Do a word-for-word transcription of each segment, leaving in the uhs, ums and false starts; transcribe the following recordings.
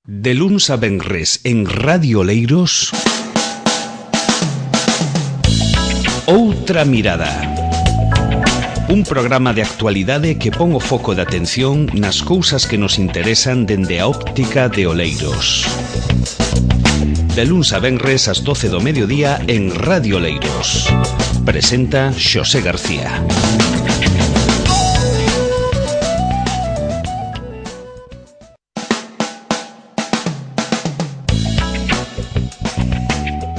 De luns a venres en Radio Oleiros, Outra Mirada. Un programa de actualidade que pon o foco de atención nas cousas que nos interesan dende a óptica de Oleiros. De luns a venres ás doce do mediodía en Radio Oleiros. Presenta Xosé García.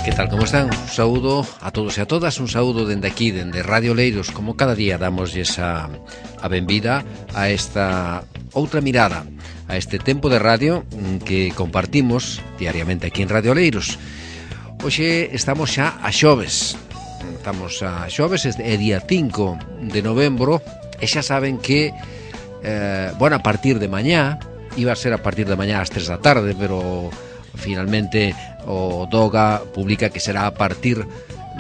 Que tal, como están? Un saúdo a todos e a todas, un saúdo dende aquí, dende Radio Oleiros. Como cada día damos esa a benvida a esta outra mirada, a este tempo de radio que compartimos diariamente aquí en Radio Oleiros. Hoxe estamos xa a xoves, estamos a xoves, é día cinco de novembro, e xa saben que, eh, bueno, a partir de mañá, iba a ser a partir de mañá ás tres da tarde, pero finalmente o Doga publica que será a partir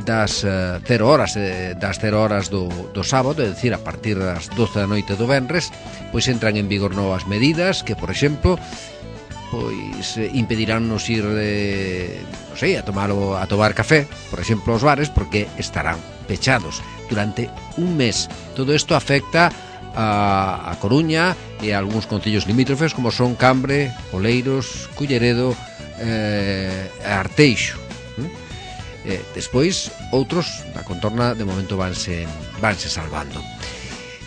das uh, cero horas eh, das cero horas do, do sábado, é dicir, a partir das doce da noite do venres, pois entran en vigor novas medidas que, por exemplo, pois eh, impediránnos ir eh, non sei, a tomar, a tomar café, por exemplo, aos bares, porque estarán pechados durante un mes. Todo isto afecta a, a Coruña e a algúns concellos limítrofes como son Cambre, Oleiros, Culleredo, eh, Arteixo. Eh, despois outros da contorna de momento vanse vanse salvando.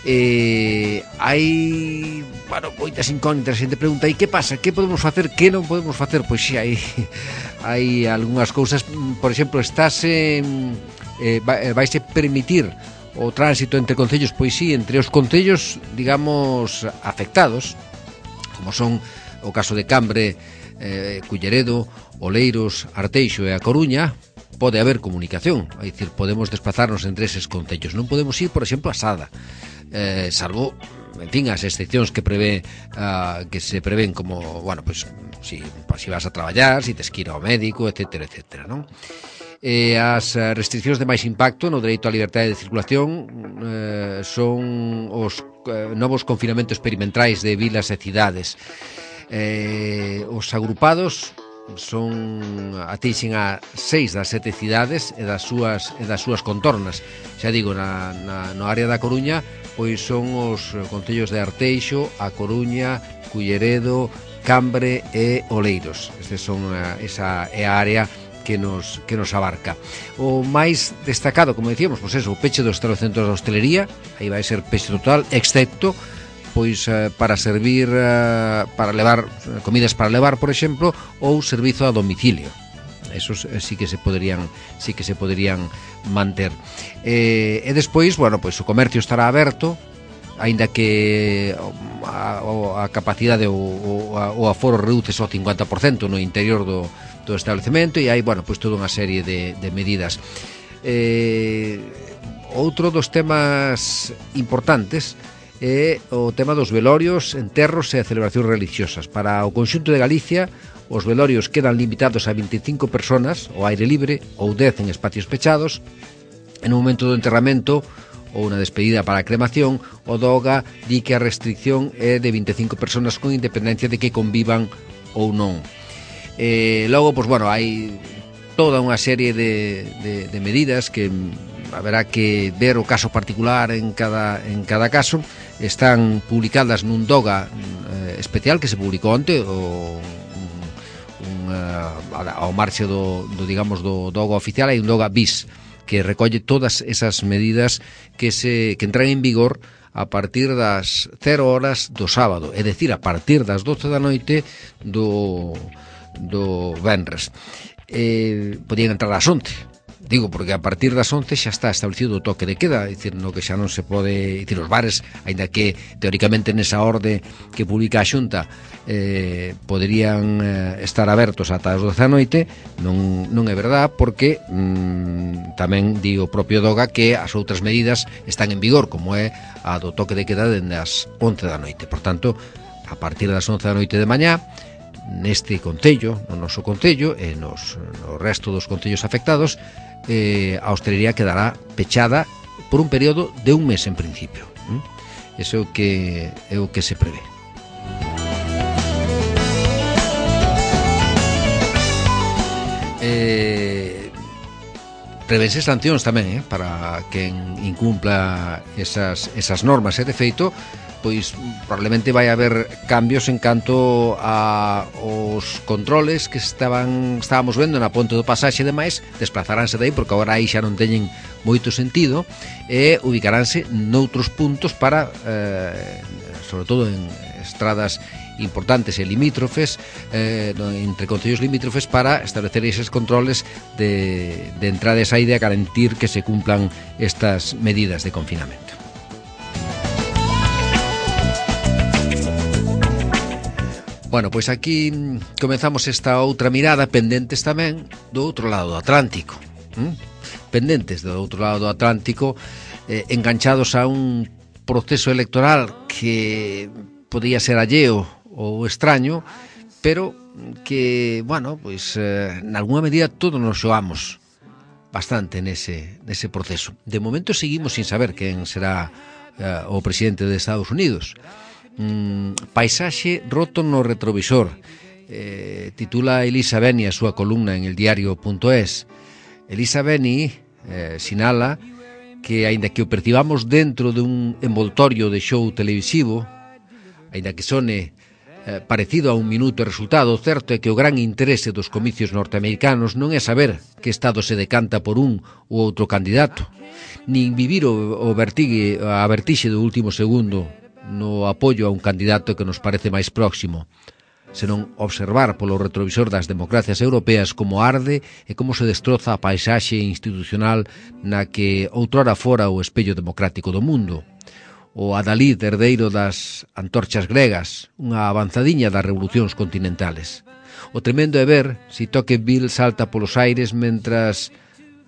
Eh, hai, bueno, moitas incógnitas. A xente pregunta, e que pasa? Que podemos facer? Que non podemos facer? Pois si, hai hai algunhas cousas. Por exemplo, estáse eh, vaise permitir o tránsito entre concellos. Pois si, entre os concellos, digamos, afectados, como son o caso de Cambre, eh, Culleredo, Oleiros, Arteixo e a Coruña, pode haber comunicación, é dicir, podemos desplazarnos entre eses concellos. Non podemos ir, por exemplo, a Sada, eh, salvo, en fin, as excepcións que prevé uh, que se prevén como, bueno, pues, si, si vas a traballar, si tes que ir ao médico, etcétera, etcétera, non? Eh, as restriccións de máis impacto no dereito á liberdade de circulación eh, son os eh, novos confinamentos perimetrais de vilas e cidades. Eh, os agrupados son atinxen a seis das sete cidades e das súas e das súas contornas. Xa digo, na, na no área da Coruña, pois son os concellos de Arteixo, A Coruña, Culleredo, Cambre e Oleiros. Estes son a, esa é a área que nos que nos abarca. O máis destacado, como decíamos, pois eso, o peche dos establecentos da hostelería, aí vai ser peche total, excepto pois uh, para servir uh, para levar comidas para levar, por exemplo, ou servizo a domicilio. Esos eh, sí que se poderían sí que se poderían manter. Eh, e despois, bueno, pois o comercio estará aberto, aínda que a, a capacidade ou o aforo reduce ao cincuenta por cento no interior do, do establecemento, e hai, bueno, pois toda unha serie de, de medidas. Eh, outro dos temas importantes é o tema dos velorios, enterros e celebracións religiosas. Para o conxunto de Galicia, os velorios quedan limitados a vinte e cinco personas ao aire libre ou dez en espacios pechados. En un momento do enterramento ou unha despedida para a cremación, o Doga di que a restricción é de vinte e cinco personas con independencia de que convivan ou non. Eh, logo, pois, bueno, hai toda unha serie de, de, de medidas que haberá que ver o caso particular en cada, en cada caso. Están publicadas nun Doga eh, especial que se publicou onte, o, un, un, uh, ao marxe do, do, digamos, do Doga oficial. Hai un Doga bis que recolle todas esas medidas que se que entran en vigor a partir das cero horas do sábado, é dicir, a partir das doce da noite do, do venres. Eh, podían entrar ás once. Digo, porque a partir das once xa está establecido o toque de queda, é dicir, no que xa non se pode, é dicir, os bares, aínda que teóricamente nesa orde que publica a Xunta eh, poderían eh, estar abertos ata as doce da noite, non, non é verdad, porque mm, tamén di o propio Doga que as outras medidas están en vigor, como é a do toque de queda dende as once da noite. Por tanto, a partir das once da noite de mañá, neste concello, no noso concello e nos, no resto dos concellos afectados, eh, a hostelería quedará pechada por un período de un mes en principio. Eso é o que, é o que se prevé. prevense sancións tamén, eh, para quen incumpla esas, esas normas, e de feito pois probablemente vai haber cambios en canto a os controles que estaban estábamos vendo na ponte do Pasaxe e demais, desplazaránse dai porque agora aí xa non teñen moito sentido e ubicaránse noutros puntos para eh, sobre todo en estradas importantes e limítrofes, eh, entre concellos limítrofes, para establecer eses controles de, de entrada e saída e garantir que se cumplan estas medidas de confinamento. Bueno, pois aquí comenzamos esta outra mirada, pendentes tamén do outro lado do Atlántico, ¿Mm? pendentes do outro lado do Atlántico, eh, enganchados a un proceso electoral que podía ser alleo ou extraño, pero que, bueno, pois eh, en alguna medida todos nos xoamos bastante nese, nese proceso. De momento seguimos sin saber quen será eh, o presidente de Estados Unidos. Mm, paisaxe roto no retrovisor, eh, titula Elisa Beni a súa columna en el diario punto es. Elisa Beni eh, sinala que, aínda que o percibamos dentro dun envoltorio de show televisivo, aínda que sone eh, parecido a un minuto e resultado, certo é que o gran interese dos comicios norteamericanos non é saber que Estado se decanta por un ou outro candidato, nin vivir o, o vertigue, a vertixe do último segundo no apoio a un candidato que nos parece máis próximo, senón observar polo retrovisor das democracias europeas como arde e como se destroza a paisaxe institucional na que outrora fora o espello democrático do mundo. O adalid herdeiro das antorchas gregas, unha avanzadiña das revolucións continentales. O tremendo é ver si Tocqueville salta polos aires mentras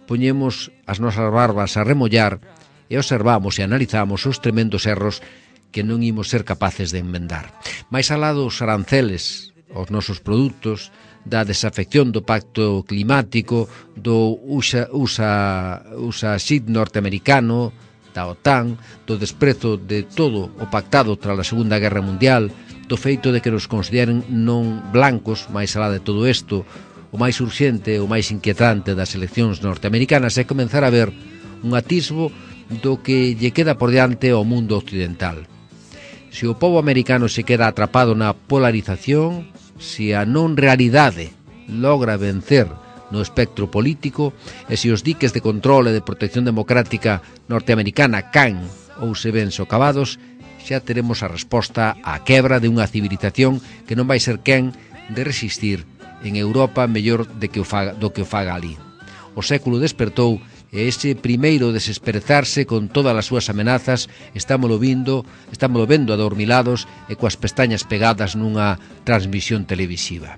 poñemos as nosas barbas a remollar e observamos e analizamos os tremendos erros que non imos ser capaces de enmendar. Mais alá dos aranceles aos nosos produtos, da desafección do pacto climático, do USA, USA, USA S I D norteamericano, da OTAN, do desprezo de todo o pactado tras a Segunda Guerra Mundial, do feito de que nos consideren non blancos, máis alá de todo isto, o máis urxente, o máis inquietante das eleccións norteamericanas é comenzar a ver un atisbo do que lle queda por diante ao mundo occidental. Se o pobo americano se queda atrapado na polarización, se a non realidade logra vencer no espectro político e se os diques de control e de protección democrática norteamericana caen ou se ven socavados, xa teremos a resposta á quebra de unha civilización que non vai ser quen de resistir en Europa mellor de que o faga, do que o faga ali. O século despertou e ese primeiro desesperezarse con todas as súas amenazas estámolo vindo, estámolo vendo adormilados e coas pestañas pegadas nunha transmisión televisiva.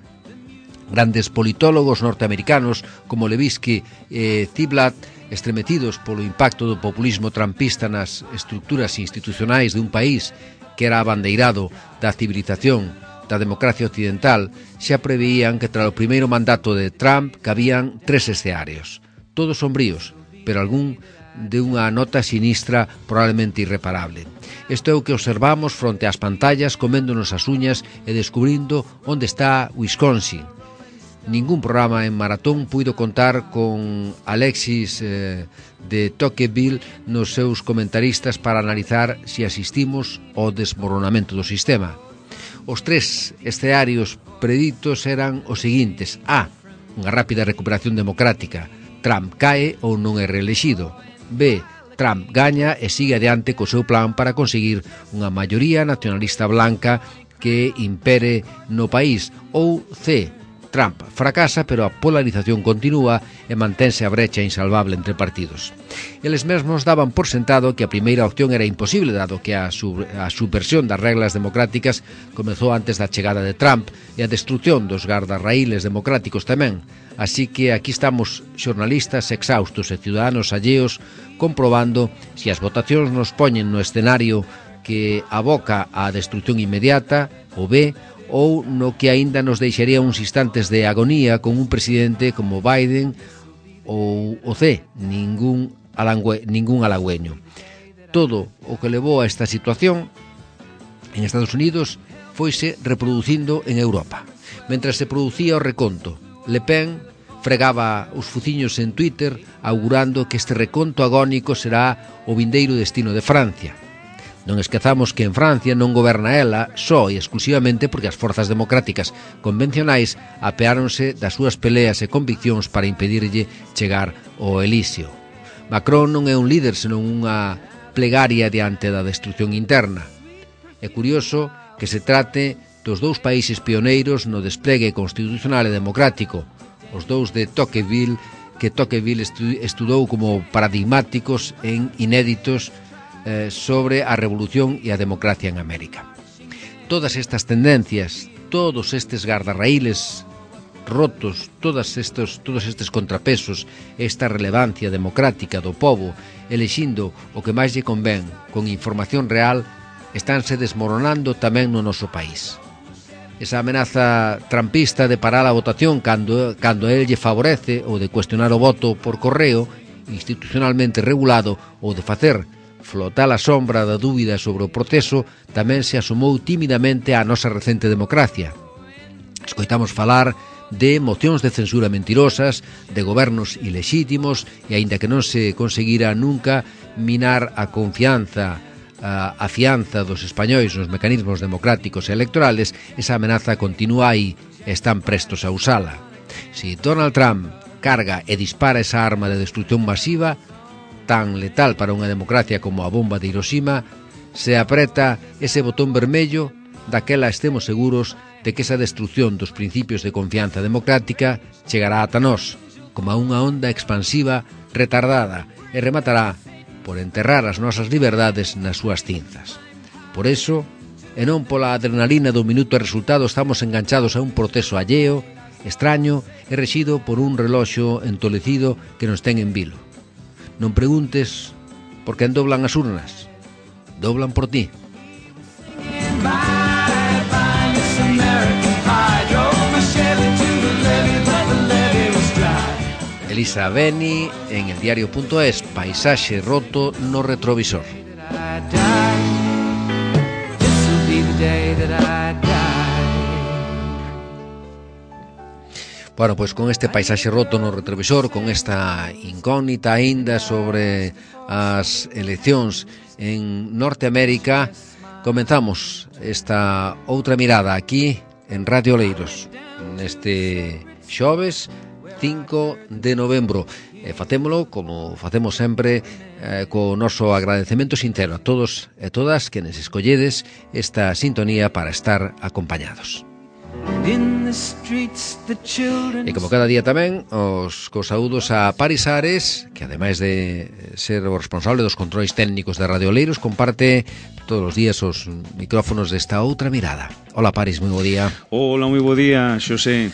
Grandes politólogos norteamericanos como Levinsky e Ziblatt, estremecidos polo impacto do populismo trampista nas estruturas institucionais de un país que era abandeirado da civilización da democracia occidental, xa preveían que tras o primeiro mandato de Trump cabían tres escenarios, todos sombríos, pero algún de unha nota sinistra probablemente irreparable. Isto é o que observamos fronte ás pantallas, coméndonos as uñas e descubrindo onde está Wisconsin. Ningún programa en maratón puido contar con Alexis eh, de Tocqueville nos seus comentaristas para analizar se asistimos ao desmoronamento do sistema. Os tres escenarios preditos eran os seguintes: A. Unha rápida recuperación democrática, Trump cae ou non é reelexido. B. Trump gaña e sigue adiante co seu plan para conseguir unha maioría nacionalista blanca que impere no país. Ou C. Trump fracasa, pero a polarización continúa e mantense a brecha insalvable entre partidos. Eles mesmos daban por sentado que a primeira opción era imposible, dado que a, sub, a subversión das reglas democráticas comezou antes da chegada de Trump e a destrucción dos gardarraíles democráticos tamén. Así que aquí estamos xornalistas exhaustos e ciudadanos alleos comprobando se as votacións nos poñen no escenario que aboca á destrucción inmediata, o B, ou no que aínda nos deixaría uns instantes de agonía con un presidente como Biden, ou o C, ningún, alangüe, ningún halagüeño. Todo o que levou a esta situación en Estados Unidos foise reproducindo en Europa. Mentras se producía o reconto, Le Pen fregaba os fuciños en Twitter augurando que este reconto agónico será o vindeiro destino de Francia. Non esquezamos que en Francia non goberna ela só e exclusivamente porque as forzas democráticas convencionais apeáronse das súas peleas e conviccións para impedirlle chegar ao elixio. Macron non é un líder senón unha plegaria diante da destrucción interna. É curioso que se trate dos dous países pioneiros no desplegue constitucional e democrático, os dous de Tocqueville, que Tocqueville estudou como paradigmáticos en inéditos eh, sobre a revolución e a democracia en América. Todas estas tendencias, todos estes gardarraíles rotos, todos estes, todos estes contrapesos, esta relevancia democrática do povo, elixindo o que máis lle convén con información real, estánse desmoronando tamén no noso país. Esa amenaza trampista de parar a votación cando, cando el lle favorece ou de cuestionar o voto por correo institucionalmente regulado ou de facer flotar a sombra da dúbida sobre o proceso tamén se asomou tímidamente á nosa recente democracia. Escoitamos falar de mocións de censura mentirosas, de gobernos ilexítimos e aínda que non se conseguira nunca minar a confianza a, a fianza dos españois nos mecanismos democráticos e electorales, esa amenaza continúa aí e están prestos a usala. Si Donald Trump carga e dispara esa arma de destrucción masiva, tan letal para unha democracia como a bomba de Hiroshima, se apreta ese botón vermello, daquela estemos seguros de que esa destrucción dos principios de confianza democrática chegará ata nós, como a unha onda expansiva retardada e rematará por enterrar as nosas liberdades nas súas cinzas. Por eso, e non pola adrenalina do minuto e resultado, estamos enganchados a un proceso alleo, extraño e rexido por un reloxo entolecido que nos ten en vilo. Non preguntes por quen doblan as urnas, doblan por ti. Elisa Beni en el diario.es, paisaxe roto no retrovisor. Bueno, pois con este paisaxe roto no retrovisor, con esta incógnita aínda sobre as eleccións en Norteamérica, comenzamos esta outra mirada aquí en Radio Oleiros, neste xoves cinco de novembro. E facémolo, como facemos sempre, eh, co noso agradecemento sincero a todos e todas que nos escolledes esta sintonía para estar acompañados. E como cada día tamén, os cos saúdos a Paris Ares, que ademais de ser o responsable dos controis técnicos de Radio Oleiros, comparte todos os días os micrófonos desta outra mirada. Hola Paris, moi bo día. Hola, moi bo día, Xosé.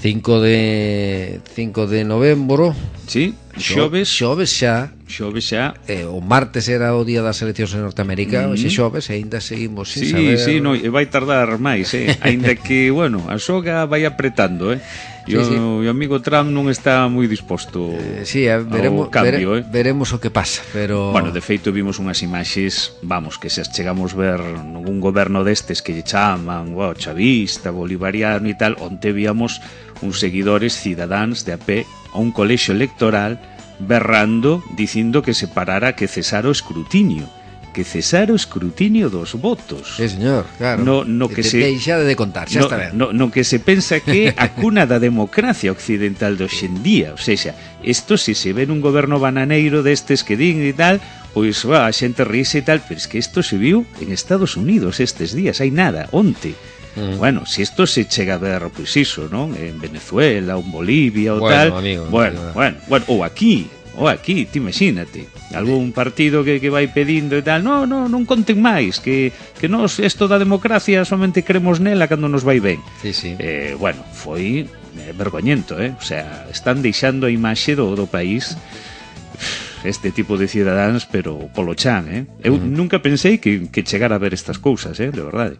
cinco de novembro. Sí, xoves. Xoves xa. Xoves xa. Eh, o martes era o día das eleccións en Norteamérica, mm-hmm. Hoxe xoves e ainda seguimos sin sí, saber. Sí, sí, no, e vai tardar máis, eh. Ainda que, bueno, a xoga vai apretando, eh. E o, sí, sí. o amigo Trump non está moi disposto eh, sí, eh, veremos, cambio, vere, eh. veremos o que pasa, pero... Bueno, de feito vimos unhas imaxes, vamos, que se as chegamos ver nungún goberno destes que lle chaman, wow, chavista, bolivariano e tal, onte víamos uns seguidores cidadáns de a pé a un colexio electoral berrando, dicindo que se parara, que cesara o escrutinio, que cesara o escrutinio dos votos. Sí, señor, claro. No, no que de, se deixa de contar, xa no, está ben. No, no que se pensa que a cuna da democracia occidental de hoxendía, o sea, isto se se ve nun goberno bananeiro destes que din e tal, pois va, a xente ríse e tal, pero es que isto se viu en Estados Unidos estes días, hai nada, onte. Mm. Bueno, si isto se chega a ver, pois iso, non? En Venezuela, ou en Bolivia, ou bueno, tal. Amigo, bueno, amigo. bueno, bueno, ou aquí, ou aquí, ti imagínate. Algún partido que, que vai pedindo e tal, no, no, non conten máis, que, que nos, isto da democracia somente cremos nela cando nos vai ben. Sí, sí. Eh, bueno, foi eh, vergoñento, eh? O sea, están deixando a imaxe do, do país este tipo de cidadáns, pero polo chan, eh? Eu mm. nunca pensei que, que chegara a ver estas cousas, eh? De verdade.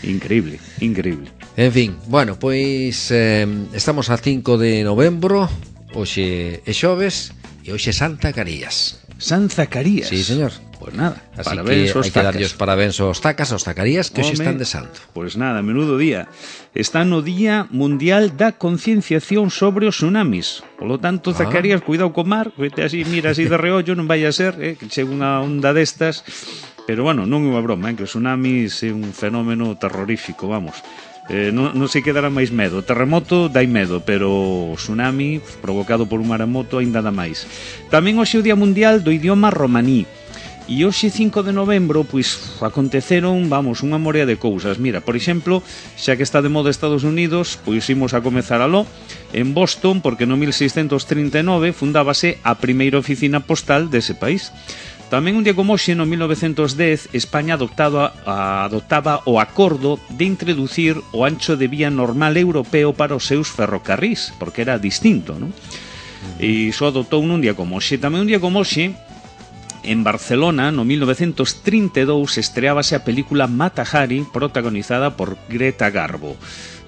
Increíble, increíble. En fin, bueno, pois eh, estamos a cinco de novembro, hoxe é xoves e hoxe é Santa Carías. San Zacarías. Sí, señor. Pois nada, así parabéns que aos hai que darlle tacas. os parabéns aos tacas, aos tacarías que hoxe están de santo. Pois nada, menudo día. Está no Día Mundial da Concienciación sobre os tsunamis. Polo tanto, Ah. Zacarías, cuidado co mar, vete así, mira así de reollo, non vai a ser eh, que chegue unha onda destas. Pero bueno, non é unha broma, eh, que o tsunami é un fenómeno terrorífico, vamos. Eh, non, non se quedará máis medo. O terremoto dai medo, pero o tsunami provocado por un maremoto aínda dá máis. Tamén hoxe é o Día Mundial do Idioma Romaní. E hoxe cinco de novembro, pois, aconteceron, vamos, unha morea de cousas. Mira, por exemplo, xa que está de moda Estados Unidos, pois imos a comezar aló en Boston, porque no mil seiscentos trinta e nove fundábase a primeira oficina postal dese país. Tamén un día como hoxe, no mil novecentos dez, España adoptaba, adoptaba o acordo de introducir o ancho de vía normal europeo para os seus ferrocarrís, porque era distinto, non? E iso adoptou nun día como hoxe. Tamén un día como hoxe, en Barcelona, no mil novecentos trinta e dous, estreábase a película Mata Hari, protagonizada por Greta Garbo.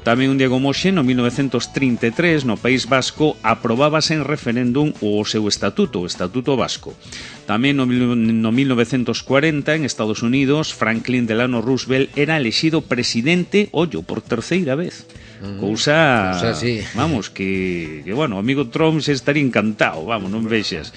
Tamén un día como hoxe, no mil novecentos trinta e tres, no País Vasco, aprobábase en referéndum o seu estatuto, o Estatuto Vasco. Tamén no, no mil novecentos cuarenta, en Estados Unidos, Franklin Delano Roosevelt era elexido presidente, ollo, por terceira vez. Mm, cousa, cousa sí. Vamos, que, que, bueno, o amigo Trump se estaría encantado, vamos, non vexas.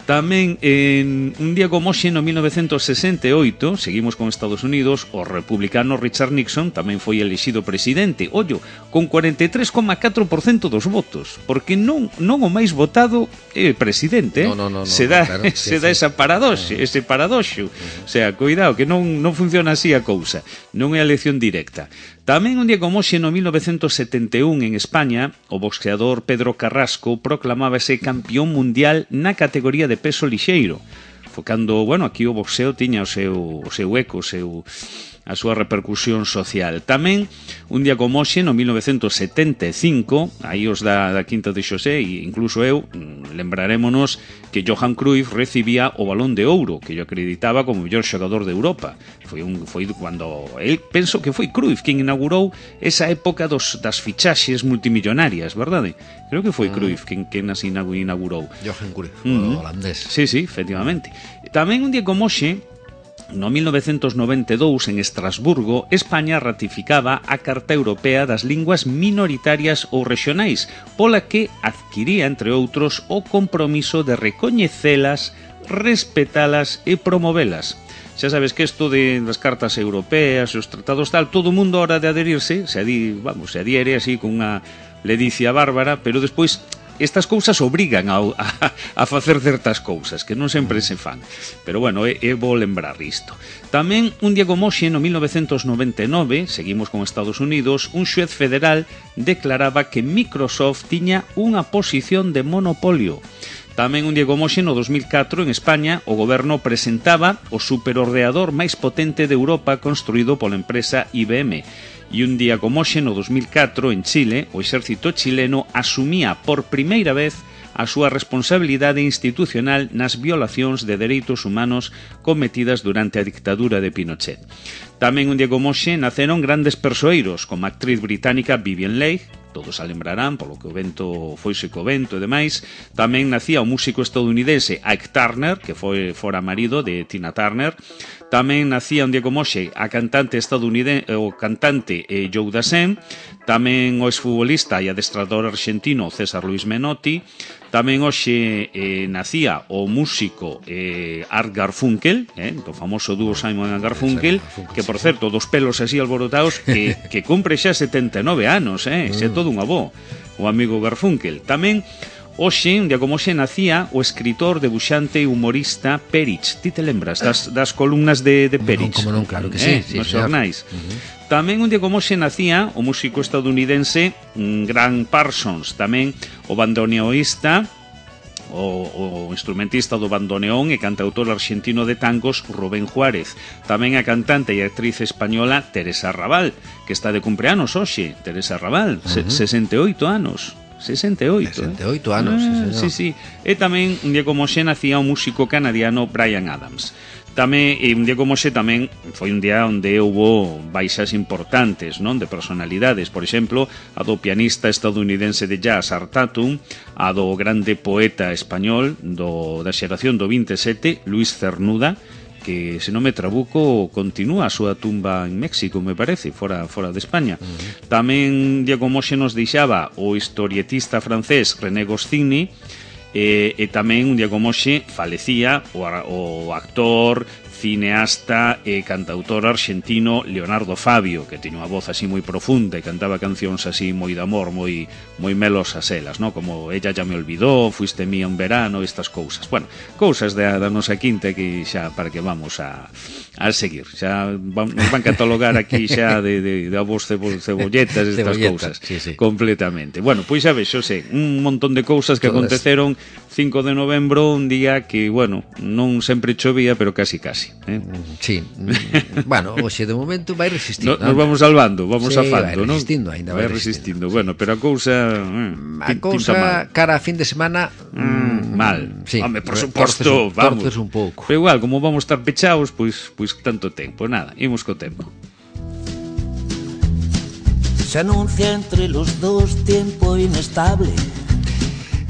Tamén en un día como hoxe, no mil novecentos sesenta e oito, seguimos con Estados Unidos, o republicano Richard Nixon tamén foi elexido presidente, ollo, con cuarenta e tres coma catro por cento dos votos, porque non non o máis votado é presidente, eh? no, no, no, se no, dá, claro, se sí, dá sí. esa paradoxe, ese paradoxo, o sea, cuidado, que non, non funciona así a cousa, non é a elección directa. Tamén un día como hoxe, no mil novecentos setenta e un, en España, o boxeador Pedro Carrasco proclamábase campeón mundial na categoría de peso lixeiro. Foi cando, bueno, aquí o boxeo tiña o seu, o seu eco, o seu, a súa repercusión social. Tamén, un día como hoxe, no mil novecentos setenta e cinco, aí os da, da Quinta de Xosé, e incluso eu, lembrarémonos que Johan Cruyff recibía o Balón de Ouro, que yo acreditaba como o mellor xogador de Europa. Foi un foi cando el penso que foi Cruyff quen inaugurou esa época dos das fichaxes multimillonarias, verdade? Creo que foi Cruyff quen quen as inaugurou. Johan Cruyff, Mm-hmm. o holandés. Sí, sí, efectivamente. Tamén un día como hoxe, no mil novecentos noventa e dous, en Estrasburgo, España ratificaba a Carta Europea das Linguas Minoritarias ou Rexionais, pola que adquiría, entre outros, o compromiso de recoñecelas, respetalas e promovelas. Xa sabes que isto de das cartas europeas, os tratados tal, todo o mundo a hora de adherirse, se adi, vamos, se adhiere así con unha ledicia bárbara, pero despois estas cousas obrigan a, a, a facer certas cousas que non sempre se fan, pero bueno, é, é bo lembrar isto. Tamén un día como hoxe, no mil novecentos noventa e nove, seguimos con Estados Unidos, un xuez federal declaraba que Microsoft tiña unha posición de monopolio. Tamén un día como hoxe, no dos mil catro, en España, o goberno presentaba o superordenador máis potente de Europa construído pola empresa I B M. E un día como hoxe, no dos mil catro, en Chile, o exército chileno asumía por primeira vez a súa responsabilidade institucional nas violacións de dereitos humanos cometidas durante a dictadura de Pinochet. Tamén un día como hoxe naceron grandes persoeiros, como a actriz británica Vivien Leigh, todos a lembrarán polo que o vento foise co vento e demais. Tamén nacía o músico estadounidense Ike Turner, que foi fora marido de Tina Turner. Tamén nacía un día como hoxe a cantante estadounidense, o cantante eh, Joe Dassin. Tamén o exfutbolista e adestrador argentino César Luis Menotti. Tamén hoxe eh, nacía o músico eh, Art Garfunkel, eh, do famoso dúo Simon and Garfunkel, que por certo, dos pelos así alborotados, que, que cumpre xa setenta e nove anos, eh, xe todo un avó, o amigo Garfunkel. Tamén hoxe, un día como hoxe, nacía o escritor, debuxante e humorista Perich. Ti te lembras das, das columnas de, de Perich? Como non, claro que sí, eh, sí, nos señor. xornais. Uh-huh. Tamén un día como hoxe nacía o músico estadounidense Grant Parsons, tamén o bandoneoísta, o, o instrumentista do bandoneón e cantautor argentino de tangos Rubén Juárez. Tamén a cantante e actriz española Teresa Raval, que está de cumpleanos hoxe. Teresa Raval, uh-huh. sesenta e oito anos. sesenta e oito, sesenta e oito eh? anos, ah, sí, sí, sí. E tamén un día como hoxe nacía o músico canadiano Bryan Adams. Tamén, e un día como hoxe tamén foi un día onde houbo baixas importantes, non, de personalidades. Por exemplo, a do pianista estadounidense de jazz Art Tatum, a do grande poeta español do, da xeración do vinte e sete, Luis Cernuda, que se non me trabuco continúa a súa tumba en México, me parece, fora, fora de España. Uh-huh. Tamén Diego Moxe nos deixaba o historietista francés René Goscinny, e, e tamén un Diego Moxe falecía o, o actor, cineasta e cantautor argentino Leonardo Fabio, que tiña unha voz así moi profunda e cantaba cancións así moi de amor, moi moi melosas elas, ¿no? Como Ella ya me olvidó, Fuiste mía un verano, estas cousas. Bueno, cousas da, da nosa quinta que xa para que vamos a, a seguir. Xa van, nos van catalogar aquí xa de, de, de avos cebolletas, estas cousas, sí, sí. Completamente. Bueno, pois xa vexo, sei, un montón de cousas que Todas. aconteceron cinco de novembro, un día que, bueno, non sempre chovía, pero casi casi. ¿Eh? Sí, bueno, hoxe de momento vai resistindo. No, nos vamos salvando, vamos sí, afando, vai resistindo, ¿no? Ainda vai, vai resistindo. resistindo. Bueno, pero a cousa eh, a cousa cara a fin de semana mm, mal. Sí, home, por suposto, torces, vamos. Torces un pouco. Pero igual, como vamos estar pechados, pois pues, pues tanto tempo, nada, imos co tempo. Se anuncia entre los dos tiempo inestable.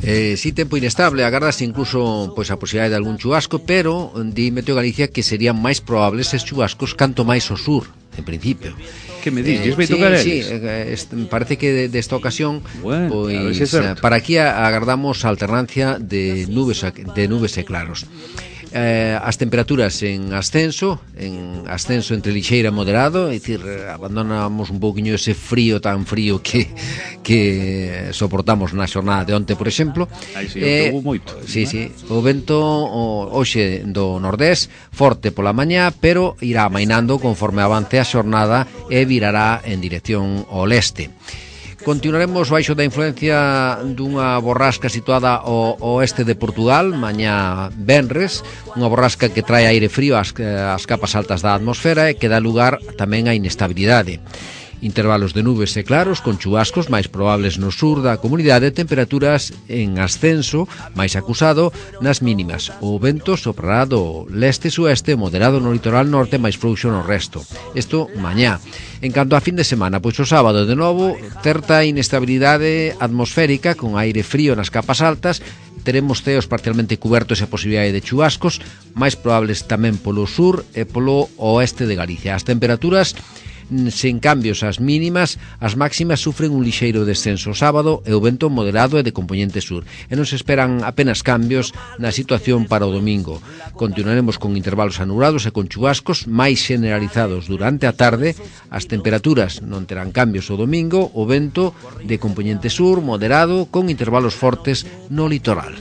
Eh, si tempo inestable, agardase incluso pois a posibilidade de algún chubasco, pero di Meteo Galicia que serían máis probables estes chubascos canto máis ao sur, en principio. Que me dices? Eh, vai sí, tocar sí, eh, parece que desta ocasión bueno, pois, si para aquí agardamos a alternancia de nubes de nubes e claros. Eh, as temperaturas en ascenso, en ascenso entre lixeira e moderado, é dicir, abandonamos un pouquiño ese frío tan frío que que soportamos na xornada de onte, por exemplo. Ai, sí, eh, moito. Sí, sí, o vento o, hoxe do nordés forte pola mañá, pero irá amainando conforme avance a xornada e virará en dirección ao leste. Continuaremos baixo da influencia dunha borrasca situada ao oeste de Portugal, mañá venres, unha borrasca que trae aire frío ás, ás capas altas da atmosfera e que dá lugar tamén á inestabilidade. Intervalos de nubes e claros con chubascos máis probables no sur da comunidade, temperaturas en ascenso máis acusado nas mínimas. O vento soprará do leste-sueste, moderado no litoral norte, máis frouxo no resto. Isto mañá. En canto a fin de semana, pois o sábado de novo certa inestabilidade atmosférica con aire frío nas capas altas. Teremos ceos parcialmente cubertos e a posibilidade de chubascos máis probables tamén polo sur e polo oeste de Galicia. As temperaturas sen cambios as mínimas, as máximas sufren un lixeiro descenso o sábado e o vento moderado e de compoñente sur. E non se esperan apenas cambios na situación para o domingo. Continuaremos con intervalos anulados e con chubascos máis generalizados durante a tarde. As temperaturas non terán cambios o domingo, o vento de compoñente sur moderado con intervalos fortes no litoral.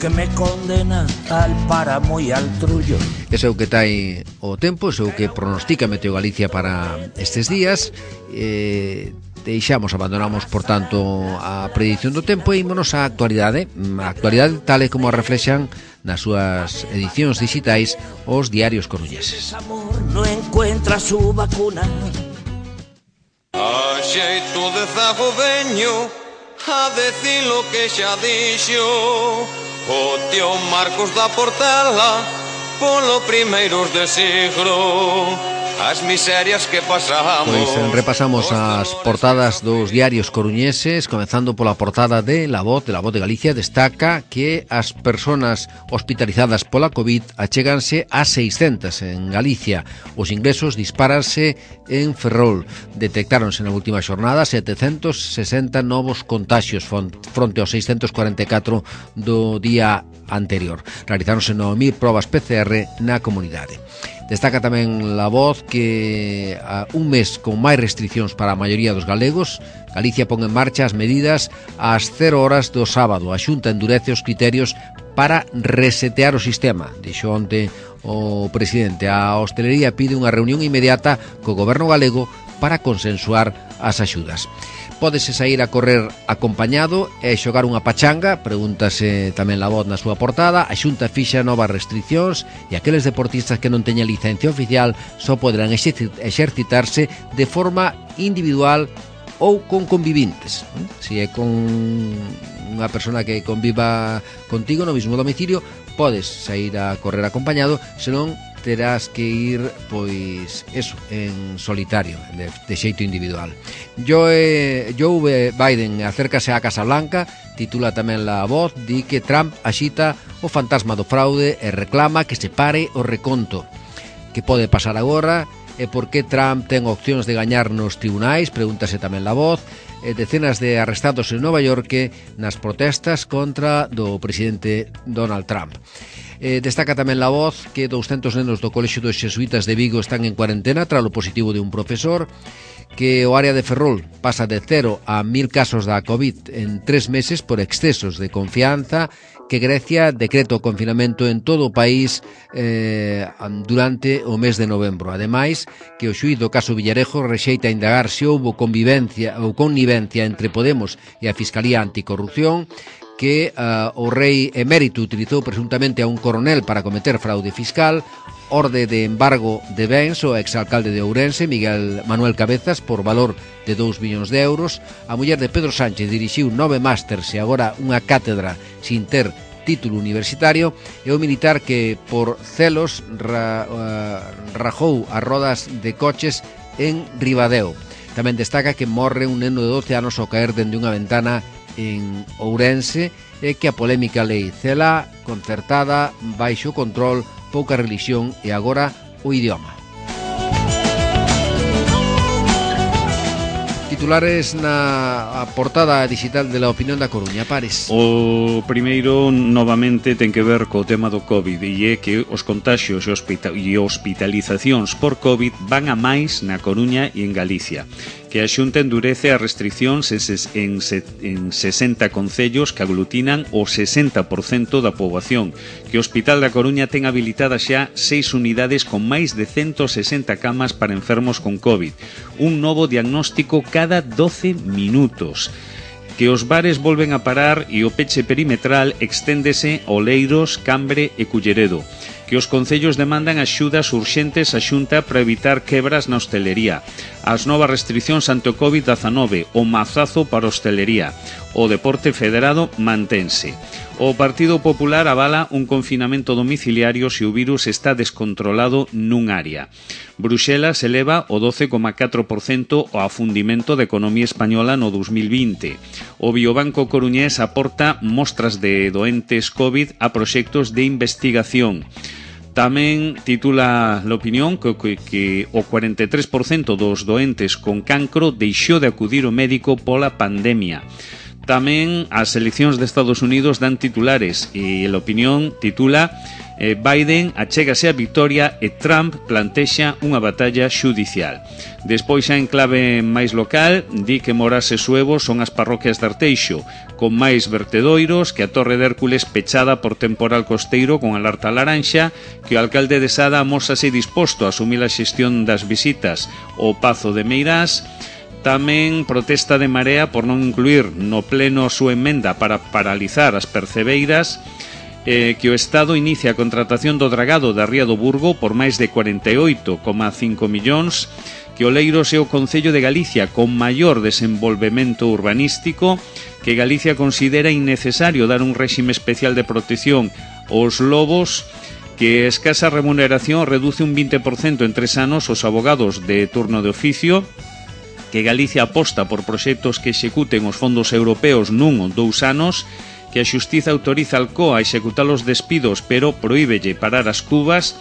Que me condena al páramo e al trullo. Ese é o que tai o tempo, ese é o que pronostica Meteo Galicia para estes días. Eh, deixamos, abandonamos, por tanto, a predición do tempo e ímonos á actualidade. A actualidade tal e como a reflexan nas súas edicións digitais os diarios coruñeses. Amor no encuentra su vacuna. A xeito de zago veño a decir lo que xa dixo o tío Marcos da Portela polo primeiros de siglo. As miserias que pasamos. Pois repasamos as portadas dos diarios coruñeses, comezando pola portada de La Voz, de La Voz de Galicia. Destaca que as persoas hospitalizadas pola COVID achéganse a seiscentas en Galicia. Os ingresos dispáranse en Ferrol. Detectáronse na última xornada setecentos sesenta novos contaxios fronte aos seiscentos cuarenta e catro do día anterior. Realizáronse nove mil probas P C R na comunidade. Destaca tamén La Voz que a un mes con máis restriccións para a maioría dos galegos, Galicia pon en marcha as medidas ás cero horas do sábado. A Xunta endurece os criterios para resetear o sistema. Dixo onte o presidente. A hostelería pide unha reunión inmediata co goberno galego para consensuar as axudas. Pódese sair a correr acompañado e xogar unha pachanga, pregúntase tamén La Voz na súa portada. A Xunta fixa novas restriccións e aqueles deportistas que non teñan licencia oficial só poderán exercitarse de forma individual ou con convivintes. Se é con unha persona que conviva contigo no mesmo domicilio, podes sair a correr acompañado, senón terás que ir, pois, eso, en solitario, de, de xeito individual. Joe, Joe Biden acércase á Casa Blanca, titula tamén La Voz, di que Trump axita o fantasma do fraude e reclama que se pare o reconto. Que pode pasar agora e por que Trump ten opcións de gañar nos tribunais, pregúntase tamén La Voz. E decenas de arrestados en Nova York nas protestas contra do presidente Donald Trump. Eh, destaca tamén La Voz que douscentos nenos do Colexio dos Xesuítas de Vigo están en cuarentena tras o positivo de un profesor, que o área de Ferrol pasa de cero a mil casos da COVID en tres meses por excesos de confianza, que Grecia decreta o confinamento en todo o país eh, durante o mes de novembro. Ademais, que o xuíz do caso Villarejo rexeita indagar se houbo convivencia ou connivencia entre Podemos e a Fiscalía Anticorrupción, que uh, o rei emérito utilizou presuntamente a un coronel para cometer fraude fiscal, orde de embargo de bens ao exalcalde de Ourense, Miguel Manuel Cabezas, por valor de dous millóns de euros. A muller de Pedro Sánchez dirixiu nove másters e agora unha cátedra sin ter título universitario, e o militar que por celos ra, uh, rajou as rodas de coches en Ribadeo. Tamén destaca que morre un neno de doce anos ao caer dende unha ventana en Ourense, e que a polémica lei Cela concertada baixo control, pouca religión e agora o idioma. Titulares na portada digital de La Opinión da Coruña, Pares. O primeiro, novamente, ten que ver co tema do COVID, e é que os contaxios e, hospital, e hospitalizacións por COVID van a máis na Coruña e en Galicia, que a Xunta endurece as restriccións en, en, en sesenta concellos que aglutinan o sesenta por cento da poboación, que o Hospital da Coruña ten habilitadas xa seis unidades con máis de ciento sesenta camas para enfermos con COVID, un novo diagnóstico cada doce minutos, que os bares volven a parar e o peche perimetral exténdese a Oleiros, Cambre e Culleredo, que os concellos demandan axudas urxentes á Xunta para evitar quebras na hostelería, as novas restriccións ante o COVID diecinueve, o mazazo para a hostelería, o deporte federado mantense. O Partido Popular avala un confinamento domiciliario se o virus está descontrolado nun área. Bruxelas eleva o doce coma catro por cento o afundimento da economía española no dos mil vinte. O Biobanco coruñés aporta mostras de doentes COVID a proxectos de investigación. Tamén titula La Opinión que, que, que o cuarenta e tres por cento dos doentes con cancro deixou de acudir ao médico pola pandemia. Tamén as eleccións de Estados Unidos dan titulares e La Opinión titula eh, Biden achégase a victoria e Trump plantexa unha batalla xudicial. Despois, xa en clave máis local, di que Morás e Suevo son as parroquias de Arteixo, con máis vertedoiros, que a Torre de Hércules pechada por temporal costeiro con alerta laranxa, que o alcalde de Sada amósase disposto a asumir a xestión das visitas ao Pazo de Meirás. Tamén protesta de Marea por non incluir no pleno a súa emenda para paralizar as percebeiras, eh, que o Estado inicia a contratación do dragado da Ría do Burgo por máis de cuarenta e oito coma cinco millóns, que Oleiros é o concello de Galicia con maior desenvolvemento urbanístico, que Galicia considera innecesario dar un réxime especial de protección aos lobos, que a escasa remuneración reduce un vinte por cento en tres anos os abogados de turno de oficio, que Galicia aposta por proxectos que executen os fondos europeos nun ou dous anos, que a Xustiza autoriza al C O A a executar os despidos pero prohíbelle parar as cubas,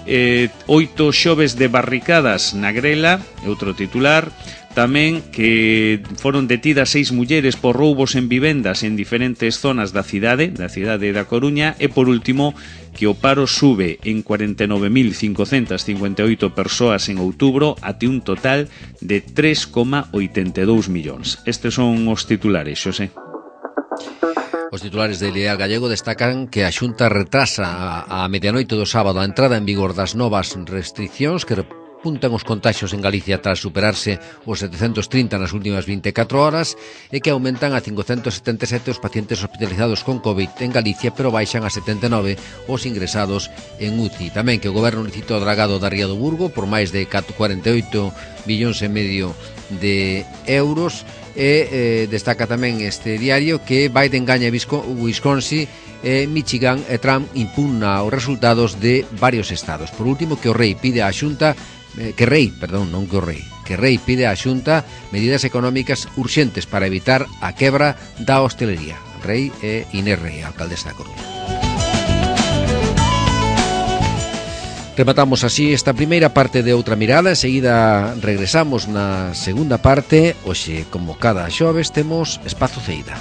eh, oito xoves de barricadas na Grela, outro titular. Tamén que foron detidas seis mulleres por roubos en vivendas en diferentes zonas da cidade, da cidade da Coruña, e por último que o paro sube en cuarenta e nove mil cincocentas cincuenta e oito persoas en outubro até un total de tres coma oitenta e dous millóns. Estes son os titulares, Xosé. Os titulares de Ideal Gallego destacan que a Xunta retrasa a, a medianoite do sábado a entrada en vigor das novas restriccións que puntan os contaxios en Galicia tras superarse os setecentos trinta nas últimas vinte e catro horas e que aumentan a cincocentos setenta e sete os pacientes hospitalizados con COVID en Galicia, pero baixan a setenta e nove os ingresados en U C I. Tamén que o goberno licita o dragado da Ría do Burgo por máis de cuarenta e oito millóns e medio de euros e eh, destaca tamén este diario que Biden gaña Wisconsin e Michigan e Trump impugna os resultados de varios estados. Por último, que o rei pide á Xunta que rei, perdón, non que o rei, que rei pide á Xunta medidas económicas urxentes para evitar a quebra da hostelería. Rei e Inés Rei, alcaldesa da Coruña. Rematamos así esta primeira parte de Outra Mirada. Enseguida regresamos na segunda parte. Hoxe, como cada xoves, temos Espazo Ceida.